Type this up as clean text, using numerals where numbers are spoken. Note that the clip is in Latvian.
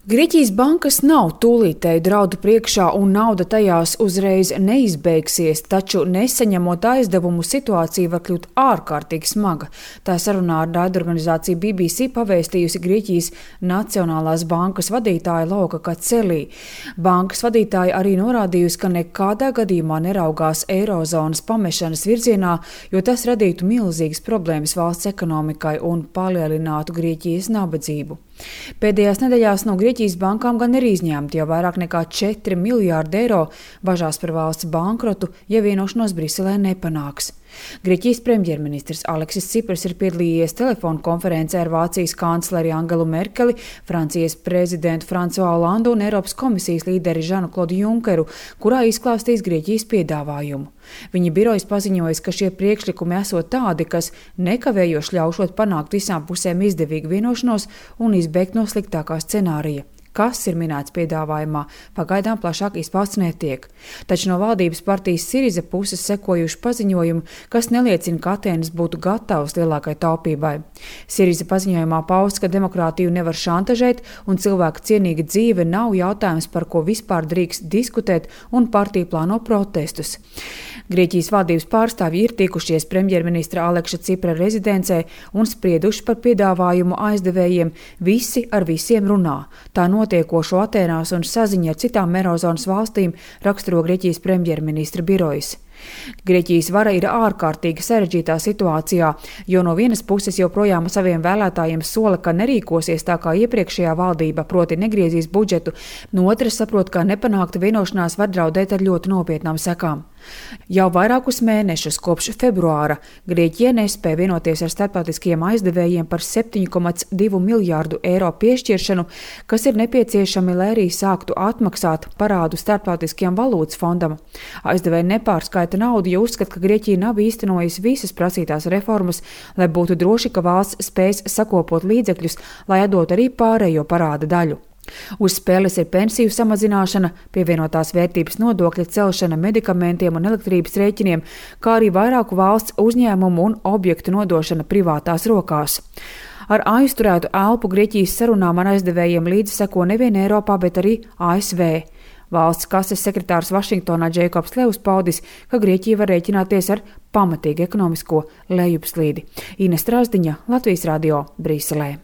Grieķijas bankas nav tūlītēju draudu priekšā un nauda tajās uzreiz neizbeigsies, taču nesaņemot aizdevumu situācija var kļūt ārkārtīgi smaga. Tā sarunā ar raidorganizāciju BBC pavēstījusi Grieķijas Nacionālās bankas vadītāja Louka Kacelī. Bankas vadītāja arī norādījusi, ka nekādā gadījumā neraugās eirozonas pamešanas virzienā, jo tas radītu milzīgas problēmas valsts ekonomikai un palielinātu Grieķijas nabadzību. Pēdējās nedēļās no Grieķijas bankām gan ir izņemti jau vairāk nekā 4 miljārdi eiro, bažās par valsts bankrotu, ja vienošanos Briselē nepanāks. Grieķijas premjerministrs Aleksis Tsipras ir piedalījies telefonu konferencē ar Vācijas kancleri Angelu Merkeli, Francijas prezidentu Francois Hollandu un Eiropas komisijas līderi Žanu-Klodu Junkeru, kurā izklāstīs Grieķijas piedāvājumu. Viņa birojas paziņojas, ka šie priekšlikumi esot tādi, kas nekavējoši ļaušot panākt visām pusēm izdevīgu vienošanos un izbēgt no sliktākā scenārija. Kas ir minēts piedāvājumā, pagaidām plašāk izpausts netiek. Taču no valdības partijas Siriza puses sekojuši paziņojumi, kas neliecina, ka Atēnas būtu gatavs lielākai taupībai. Siriza paziņojumā pausts, ka demokrātiju nevar šantažēt un cilvēka cienīga dzīve nav jautājums, par ko vispār drīkst diskutēt, un partija plāno protestus. Grieķijas valdības pārstāvji ir tikušies premjerministra Alekša Tsipra rezidencē un sprieduši par piedāvājumu aizdevējiem. Visi ar visiem runā. Tā notiekošo Atēnās un saziņa ar citām eirozonas valstīm raksturo Grieķijas premjerministra birojas. Grieķijas vara ir ārkārtīgi sarežģītā situācijā, jo no vienas puses joprojām saviem vēlētājiem sola, ka nerīkosies tā kā iepriekšējā valdība, proti negriezīs budžetu, no otras saprot, ka nepanākta vienošanās var draudēt ar ļoti nopietnām sekām. Jau vairākus mēnešus kopš februāra Grieķija nespēja vienoties ar starptautiskiem aizdevējiem par 7,2 miljārdu eiro piešķiršanu, kas ir nepieciešami, lai arī sāktu atmaksāt parādu starptautiskajam valūtas fondam. Aizdevēji nepārskaita naudu, jo uzskata, ka Grieķija nav īstenojusi visas prasītās reformas, lai būtu droši, ka valsts spēs sakopot līdzekļus, lai atdot arī pārējo parāda daļu. Uz spēles ir pensiju samazināšana, pievienotās vērtības nodokļa celšana medikamentiem un elektrības rēķiniem, kā arī vairāku valsts uzņēmumu un objektu nodošana privātās rokās. Ar aizturētu elpu Grieķijas sarunām ar aizdevējiem līdzi seko nevien Eiropā, bet arī ASV. Valsts kases sekretārs Vašingtonā Džeikobs Levs paudis, ka Grieķija var rēķināties ar pamatīgu ekonomisko lejupslīdi. Ines Strasdiņa, Latvijas radio, Briselē.